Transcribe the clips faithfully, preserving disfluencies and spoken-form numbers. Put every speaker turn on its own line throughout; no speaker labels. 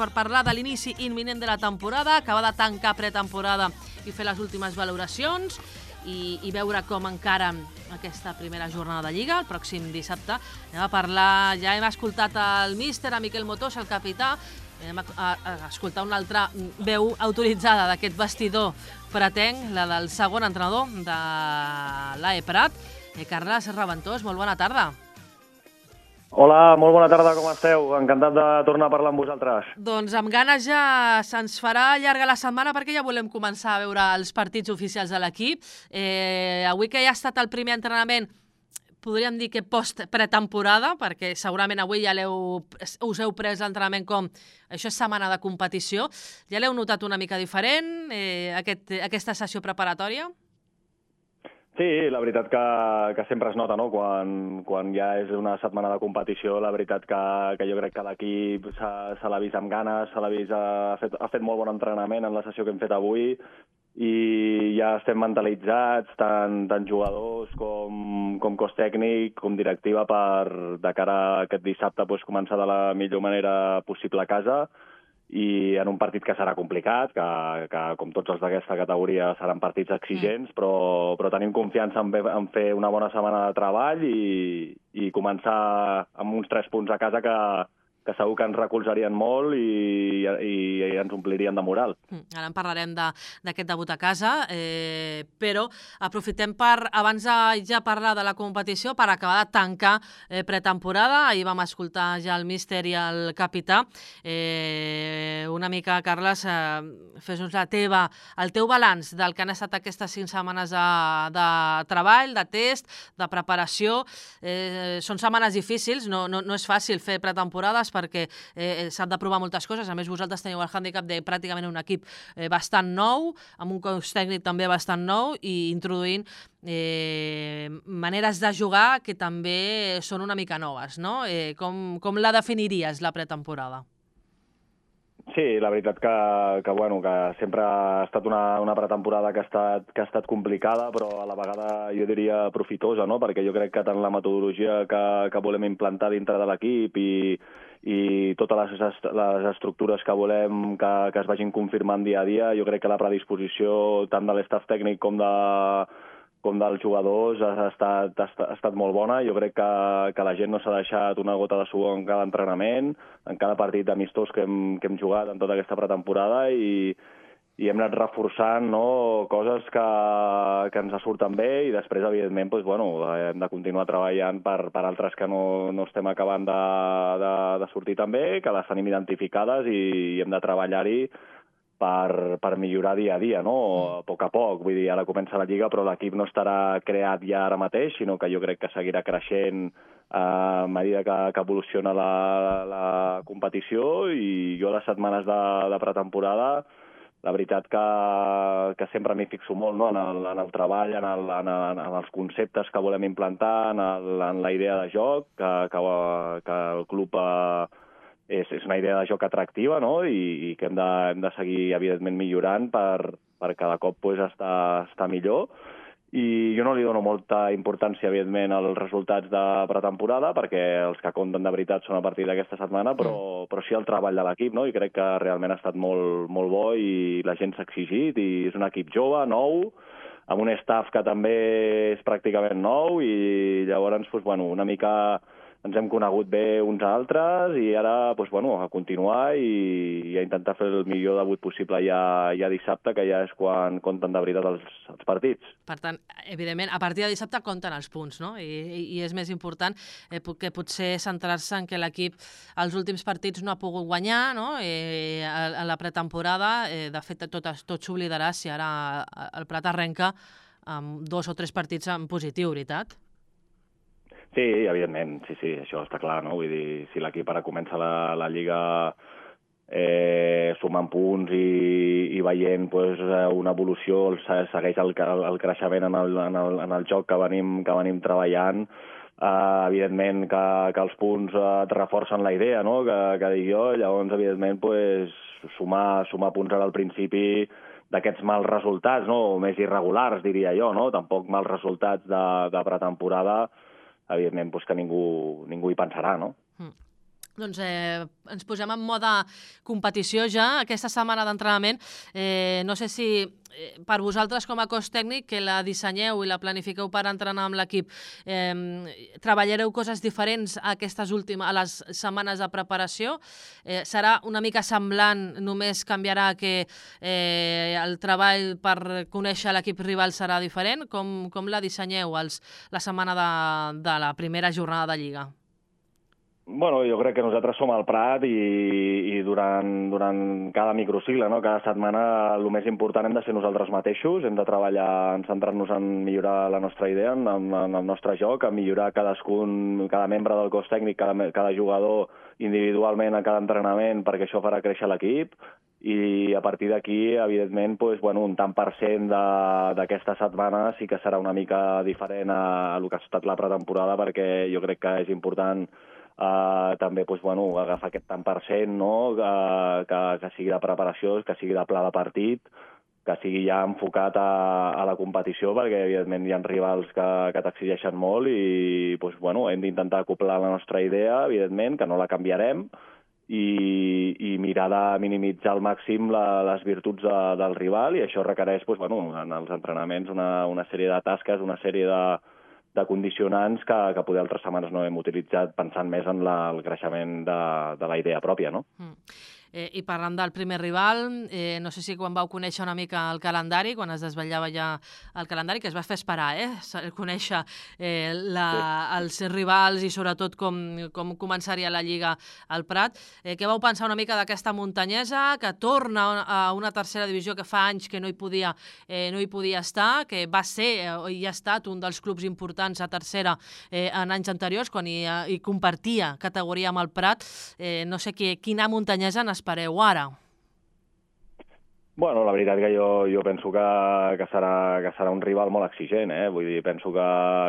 per parlar de l'inici imminent de la temporada, acabar de tancar pretemporada i fer les últimes valoracions i, i veure com encara aquesta primera jornada de Lliga, el pròxim dissabte. Anem a parlar, ja hem escoltat el míster, a Miquel Motós, el capità, anem a, a, a escoltar una altra veu autoritzada d'aquest vestidor pretenc, la del segon entrenador de l'A E Prat, eh, Carles Raventós, molt bona tarda.
Hola, molt bona tarda, com esteu? Encantat de tornar a parlar amb vosaltres.
Doncs amb ganes ja se'ns farà llarga la setmana perquè ja volem començar a veure els partits oficials de l'equip. Eh, avui que ja ha estat el primer entrenament, podríem dir que post-pretemporada, perquè segurament avui ja us heu pres l'entrenament com això és setmana de competició. Ja l'heu notat una mica diferent, eh, aquest, aquesta sessió preparatòria?
Sí, la veritat que, que sempre es nota, no? Quan, quan ja és una setmana de competició, la veritat que, que jo crec que l'equip se l'ha vist amb ganes, se l'ha vist, ha fet, ha fet molt bon entrenament en la sessió que hem fet avui i ja estem mentalitzats, tant, tant jugadors com, com cos tècnic, com directiva, per de cara a aquest dissabte pues, començar de la millor manera possible a casa, i en un partit que serà complicat, que, que com tots els d'aquesta categoria seran partits exigents, mm. però, però tenim confiança en, en fer una bona setmana de treball i, i començar amb uns tres punts a casa que, que segur que ens recolzarien molt i, i, i ens omplirien de moral.
Mm, ara en parlarem d'aquest debut a casa, eh, però aprofitem per, abans de ja parlar de la competició, per acabar de tancar eh, pretemporada. Ahir vam escoltar ja el míster i el capità. Eh, una mica, Carles, eh, fes-nos la teva, el teu balanç del que han estat aquestes cinc setmanes de, de treball, de test, de preparació. Eh, són setmanes difícils, no, no, no és fàcil fer pretemporades perquè eh, s'han de provar moltes coses. A més, vosaltres teniu el hàndicap de pràcticament un equip eh, bastant nou, amb un cos tècnic també bastant nou i introduint eh, maneres de jugar que també són una mica noves, no? Eh, com, com la definiries, la pretemporada?
Sí, la veritat que, que, bueno, que sempre ha estat una, una pretemporada que ha, estat, que ha estat complicada, però a la vegada jo diria profitosa, no? Perquè jo crec que tant la metodologia que, que volem implantar dintre de l'equip i, i totes les, les estructures que volem que, que es vagin confirmant dia a dia, jo crec que la predisposició tant de l'estaf tècnic com de com dels jugadors ha estat, ha estat, ha estat molt bona. Jo crec que, que la gent no s'ha deixat una gota de suor en cada entrenament, en cada partit amistós que hem, que hem jugat en tota aquesta pretemporada i, i hem anat reforçant, no, coses que, que ens surten bé i després, evidentment, doncs, bueno, hem de continuar treballant per, per altres que no, no estem acabant de, de, de sortir tan bé, que les tenim identificades i hem de treballar-hi Per, per millorar dia a dia, no? A poc a poc. Vull dir, ara comença la Lliga, però l'equip no estarà creat ja ara mateix, sinó que jo crec que seguirà creixent a mesura que, que evoluciona la, la competició i jo les setmanes de, de pretemporada, la veritat que, que sempre m'hi fixo molt, no? en, el, en el treball, en, el, en, el, en els conceptes que volem implantar, en, el, en la idea de joc, que, que, que el club eh, És, és una idea de joc atractiva, no? I, i que hem de, hem de seguir, evidentment, millorant per, per cada cop pues, estar, estar millor. I jo no li dono molta importància, evidentment, als resultats de pretemporada, perquè els que compten de veritat són a partir d'aquesta setmana, però, mm. però sí el treball de l'equip, no? I crec que realment ha estat molt, molt bo i la gent s'ha exigit i és un equip jove, nou, amb un staff que també és pràcticament nou i llavors, pues, bueno, una mica ens hem conegut bé uns a altres i ara doncs, bueno, a continuar i, i a intentar fer el millor debut possible ja, ja dissabte, que ja és quan compten de veritat els, els partits.
Per tant, evidentment, a partir de dissabte compten els punts, no? I, i, i és més important eh, que potser centrar-se en que l'equip els últims partits no ha pogut guanyar, no? Eh, a, a la pretemporada, eh, de fet, tot, tot s'oblidarà si ara el Prat arrenca amb dos o tres partits en positiu, veritat?
Sí, evidentment, sí, sí, això està clar, no? Vull dir, si l'equip ara comença la, la Lliga eh, sumant punts i, i veient pues, una evolució, segueix el, el creixement en el, en, el, en el joc que venim, que venim treballant, eh, evidentment que, que els punts et reforcen la idea, no? Que, que dic jo, llavors, evidentment, pues, sumar, sumar punts ara al principi d'aquests mals resultats, no? Més irregulars, diria jo, no? Tampoc mals resultats de, de pretemporada, evidentment, doncs que ningú, ningú hi pensarà, no?
Mm. doncs eh, ens posem en mode competició ja, aquesta setmana d'entrenament. Eh, no sé si eh, per vosaltres com a cos tècnic, que la dissenyeu i la planifiqueu per entrenar amb l'equip, eh, treballareu coses diferents a aquestes últimes, a les setmanes de preparació? Eh, serà una mica semblant, només canviarà que eh, el treball per conèixer l'equip rival serà diferent? Com, com la dissenyeu els, la setmana de, de la primera jornada de Lliga?
Bueno, jo crec que nosaltres som al Prat i, i durant, durant cada microcicle, no? Cada setmana el més important hem de ser nosaltres mateixos, hem de treballar, en centrar-nos en millorar la nostra idea, en, en el nostre joc, en millorar cadascun, cada membre del cos tècnic, cada, cada jugador individualment a cada entrenament, perquè això farà créixer l'equip, i a partir d'aquí, evidentment, doncs, bueno, un tant per cent d'aquesta setmana sí que serà una mica diferent a, a el que ha estat la pretemporada, perquè jo crec que és important Uh, també doncs, bueno, agafar aquest tant per cent, no? uh, que, que sigui de preparació, que sigui de pla de partit, que sigui ja enfocat a, a la competició, perquè evidentment hi ha rivals que, que t'exigeixen molt i doncs, bueno, hem d'intentar acoplar la nostra idea, evidentment, que no la canviarem, i, i mirar de minimitzar al màxim la, les virtuts de, del rival, i això requereix doncs, bueno, en els entrenaments una, una sèrie de tasques, una sèrie de de condicionants que, que poder altres setmanes no hem utilitzat pensant més en la, el creixement de, de la idea pròpia, no?
Mm. Eh, I parlant del primer rival, eh, no sé si quan vau conèixer una mica el calendari, quan es desvetllava ja el calendari, que es va fer esperar, eh? Conèixer eh, la, sí. els rivals i sobretot com, com començaria la Lliga al Prat. Eh, què vau pensar una mica d'aquesta muntanyesa, que torna a una tercera divisió que fa anys que no hi podia, eh, no hi podia estar, que va ser eh, i ha estat un dels clubs importants a tercera eh, en anys anteriors, quan hi, hi compartia categoria amb el Prat. Eh, no sé qui, quina muntanyesa n'espereu ara?
Bueno, la veritat que jo, jo penso que, que, serà, que serà un rival molt exigent, eh? Vull dir, penso que,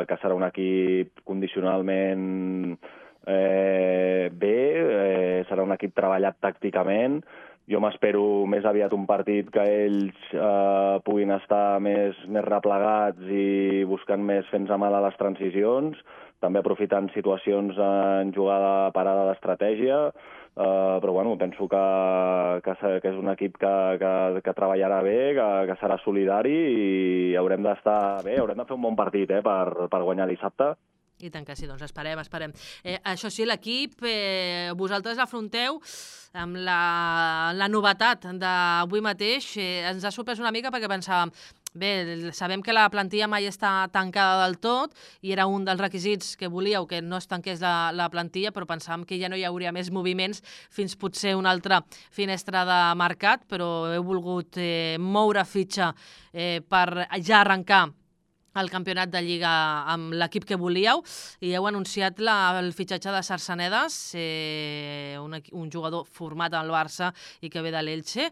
que serà un equip condicionalment eh, bé, eh, serà un equip treballat tàcticament. Jo m'espero més aviat un partit que ells eh, puguin estar més, més replegats i buscant més fent-se mal a les transicions, també aprofitant situacions en jugada parada d'estratègia. Uh, però bueno, penso que, que, que és un equip que, que, que treballarà bé, que, que serà solidari i haurem d'estar bé, haurem de fer un bon partit eh, per, per guanyar dissabte.
I tant que sí, doncs esperem, esperem. Eh, això sí, l'equip, eh, vosaltres l'afronteu amb la, la novetat d'avui mateix. Eh, ens ha sorprès una mica perquè pensàvem, bé, sabem que la plantilla mai està tancada del tot i era un dels requisits que volíeu, que no es tanqués la, la plantilla, però pensàvem que ja no hi hauria més moviments fins potser una altra finestra de mercat, però heu volgut eh, moure fitxa eh, per ja arrencar el campionat de Lliga amb l'equip que volíeu i heu anunciat la, el fitxatge de Sarsanedas, eh, un, un jugador format al Barça i que ve de l'Elche.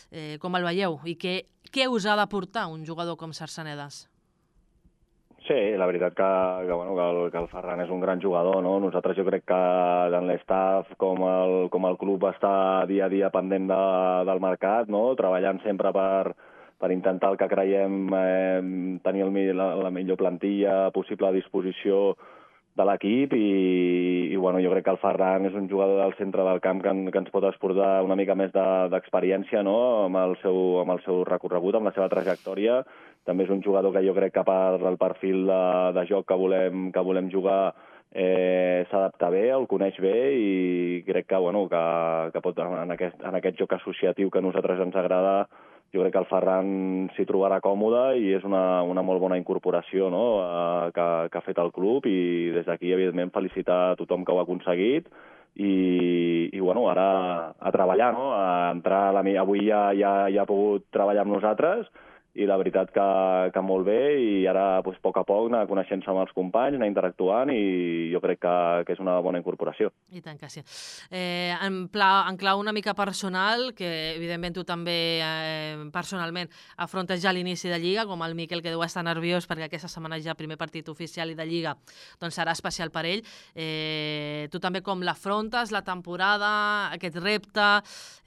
Eh, com el veieu? I què, què us ha d'aportar un jugador com Sarsanedas?
Sí, la veritat que, que, bueno, que, el, que el Ferran és un gran jugador, no? Nosaltres jo crec que tant l'estaff com el, com el club està dia a dia pendent de, del mercat, no? Treballant sempre per per intentar el que creiem eh, tenir el, la, la millor plantilla possible a disposició de l'equip i, i bueno, jo crec que el Ferran és un jugador del centre del camp que, que ens pot exportar una mica més d'experiència de, no? amb, el seu, amb el seu recorregut, amb la seva trajectòria. També és un jugador que jo crec que per el perfil de, de joc que volem, que volem jugar eh, s'adapta bé, el coneix bé i crec que, bueno, que, que pot, en, aquest, en aquest joc associatiu que a nosaltres ens agrada, jo crec que el Ferran s'hi trobarà còmode i és una, una molt bona incorporació, no? eh, que, que ha fet el club i des d'aquí, evidentment, felicitar a tothom que ho ha aconseguit i, i bueno, ara a treballar, no? A entrar a la, avui ja, ja, ja ha pogut treballar amb nosaltres i la veritat que, que molt bé i ara doncs, a poc a poc anar coneixent-se amb els companys, anar interactuant i jo crec que, que és una bona incorporació.
I tant que sí. Eh, en, pla, en clau una mica personal, que evidentment tu també eh, personalment afrontes ja l'inici de Lliga, com el Miquel, que deu estar nerviós perquè aquesta setmana ja primer partit oficial i de Lliga doncs serà especial per ell. Eh, tu també com l'afrontes, la temporada, aquest repte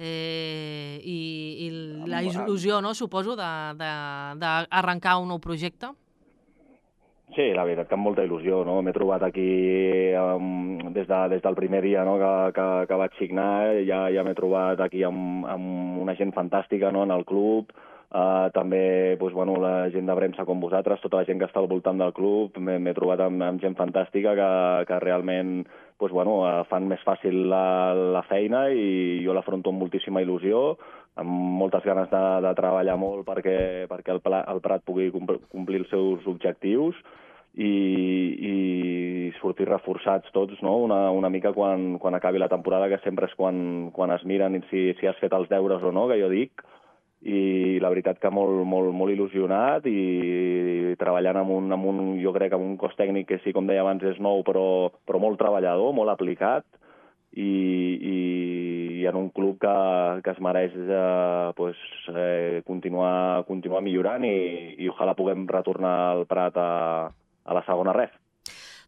eh, i, i la il·lusió, no, suposo, de, de d'arrencar un nou projecte?
Sí, la veritat que amb molta il·lusió, no? M'he trobat aquí um, des, de, des del primer dia, no? que, que, que vaig signar, ja, ja m'he trobat aquí amb, amb una gent fantàstica, no? En el club, uh, també doncs, bueno, la gent de premsa com vosaltres, tota la gent que està al voltant del club, m'he trobat amb, amb gent fantàstica que, que realment doncs, bueno, fan més fàcil la, la feina i jo l'afronto amb moltíssima il·lusió, amb moltes ganes de, de treballar molt perquè, perquè el, el Prat pugui complir els seus objectius i, i sortir reforçats tots, no? una, una mica quan, quan acabi la temporada, que sempre és quan, quan es miren si, si has fet els deures o no, que jo dic, i la veritat que molt, molt, molt il·lusionat i, i treballant amb un, amb un, jo crec, amb un cos tècnic que sí, com deia abans, és nou, però, però molt treballador, molt aplicat, i, i, i en un club que, que es mereix eh, pues, eh, continuar, continuar millorant i, i ojalà puguem retornar al Prat a, a la segona ref.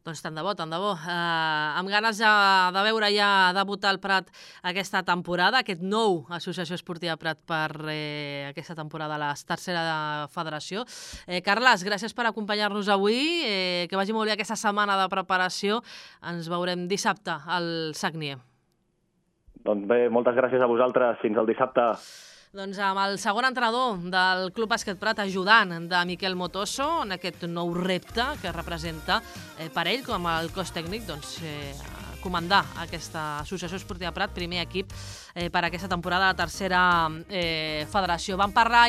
Doncs tant de bo, tant de bo. Uh, amb ganes de, de veure ja debutar el Prat aquesta temporada, aquest nou Associació Esportiva Prat per eh, aquesta temporada a la tercera federació. Eh, Carles, gràcies per acompanyar-nos avui. Eh, que vagi molt bé aquesta setmana de preparació. Ens veurem dissabte al Sagnier.
Doncs bé, moltes gràcies a vosaltres. Fins al dissabte.
Doncs amb el segon entrenador del Club Bàsquet Prat, ajudant de Miquel Motoso en aquest nou repte que representa eh, per ell com el cos tècnic, doncs, eh, comandar aquesta Associació Esportiva Prat, primer equip eh, per aquesta temporada de la tercera eh, federació. Vam parlar i